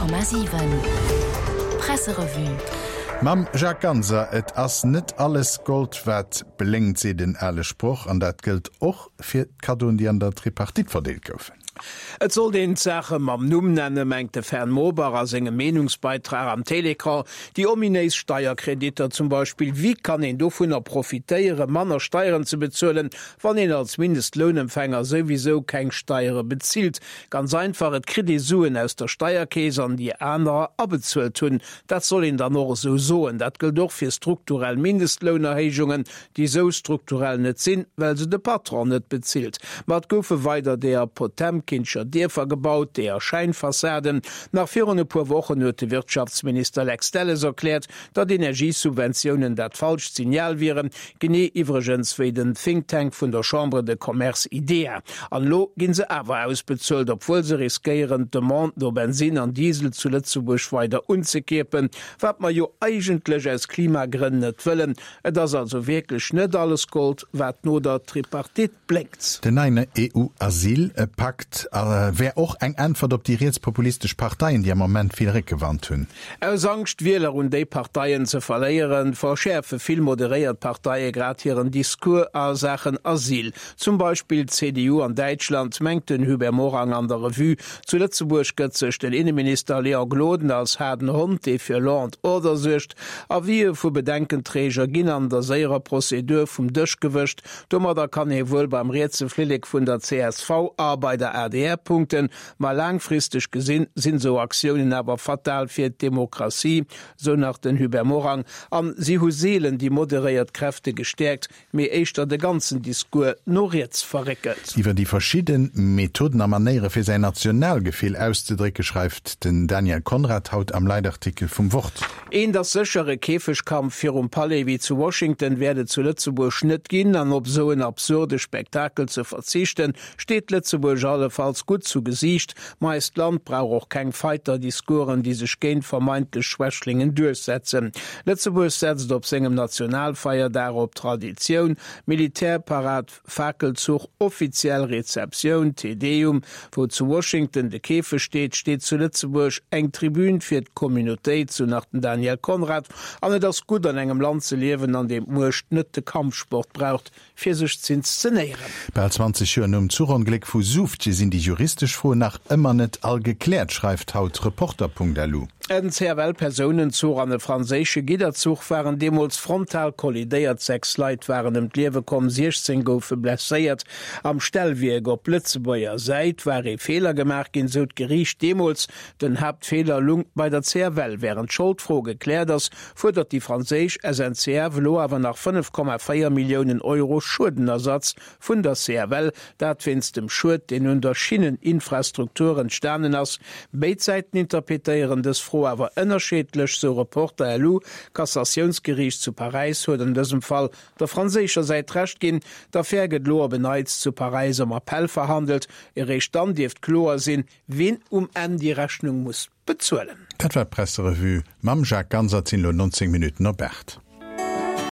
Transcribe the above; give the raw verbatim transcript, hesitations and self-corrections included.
Komma siwen Presserevue. Mam Jacques Ganser, Et ass net alles Gold wat blénkt, seet en ale Sproch, an dat gëllt och fir d'Kaddoen, déi an der Tripartite verdeelt goufen. Et sollt een d'Saache mam Numm nennen, mengt de Fern Mobach a sengem Meenungsbeitrag am Télécran. Déi ominéis Steierkreditter zum Beispill, wéi kann een dovunner profitéieren, manner Steieren ze bezuelen, wann een als Mindestlounempfänger souwisou keng Steiere bezilt? Ganz einfach, et kritt ee Suen aus der Steierkeess an déi anerer abezuelt hunn. Dat soll een dann och esou soen. Dat gëllt och fir strukturell Mindestlounerhéijungen, déi esou strukturell net sinn, well se de Patron net bezilt. Ma et goufe weider deeër Potemkinscher Dierfer gebaut, deeër Schäinfassaden. Nach virun e puer Wochen huet de Wirtschaftsminister Lex Delles erkläert, datt Energiesubventiounen dat falscht Signal wieren, genee iwwregens wéi den Think Tank vun der Chambre de Commerce IDEA. An elo ginn se awer ausbezuelt, obwuel se riskéieren, d'Demande no Bensin an Diesel zu Lëtzebuerg weider unzekierpen, wat mer jo eigentlech aus Klimagrënn net wëllen. Et ass also wierklech net alles Gold, wat no der Tripartite blénkt. Den neien E U-Asylpakt wär och eng Äntwert op déi rietspopulistesch Parteien, déi am Moment vill Réckewand hunn. Aus Angscht, Wieler un déi Parteien ze verléieren, verschäerfe vill moderéiert Parteie grad hiren Discours a Saachen Asyl. Zum Beispill d'C D U an Däitschland, mengt den Hubert Morang an der Revue. Zu Lëtzebuerg gëtt sech den Inneminister Léon Gloden als haarden Hond, dee fir Law and Order suergt. Avisë vu Bedenkenträger ginn an der séierer Prozedur vum Dësch gewëscht. Domadder kann ee wuel beim rietse Flillek vun der C S V a bei der A D R punkten, ma laangfristeg gesinn sinn esou Aktiounen awer fatal fir d'Demokratie, sou nach den Hubert Morang. An si hu seelen déi moderéiert Kräfte gestäerkt, mee éischter de ganzen Discours no riets verréckelt. Iwwer déi verschidde Methoden a Manéiere fir säin Nationalgefill auszedrécke schreift den Daniel Conrad haut am Leitartikel vum Wort. Eent ass sécher, e Käfegkampf virum Palais wéi zu Washington wäert et zu Lëtzebuerg net ginn, an op esou en absurde Spektakel ze verzichten, steet Lëtzebuerg allefalls gutt zu Gesiicht. Ma eist Land brauch och keng Fighter-Discoursen, déi sech géint vermeintlech Schwächlingen duerchsetzen. Lëtzebuerg setzt op sengem Nationalfeierdag op Traditioun, Militärparad, Fakelzuch, offiziell Rezeptioun, Te Deum. Wou zu Washington de Käfeg steet, steet zu Lëtzebuerg eng Tribün fir d'Communautéit, sou nach den Daniel Conrad. An et ass gutt, an engem Land ze liewen, an deem d'Muecht net de Kampfsport braucht, fir sech z'inszenéieren. Bal zwanzeg Joer nom Zuchongléck vu Suuftje sinn déi juristesch Froen nach ëmmer net all gekläert, schreift haut Reporter Punkt L U. En C F L-Persounenzuch an e franséische Gidderzuch waren deemools frontal kollidéiert. Sechs Leit waren ëm d'Liewe komm, siechzéng goufe blesséiert. Am Stellwierk op Lëtzebuerger Säit war ee Feeler gemaach ginn, sou d'Geriicht deemools. Den Haaptfeeler lung bei der C F L. Wärend d'Scholdfro gekläert ass, fuerdert déi franséisch S N C F elo awer nach fënnef Komma véier Milliounen Euro Schuedenersatz vun der C F L, dat wéinst dem Schued, deen un der Schinneninfrastruktur entstanen ass. Béid Säiten interpretéieren dës Fro awer ënnerschiddlech, sou Reporter Punkt L U. D'Kassatiounsgeriicht zu Paräis huet an dësem Fall der franséischer Säit Recht ginn. D'Affär gëtt elo op en Neits zu Paräis am Appell verhandelt. Eréischt dann dierft kloer sinn, wien um Enn déi Rechnung muss bezuelen. Dat war d'Presserevue mam Jacques Ganser. Et sinn elo nonzéng Minutten op aacht.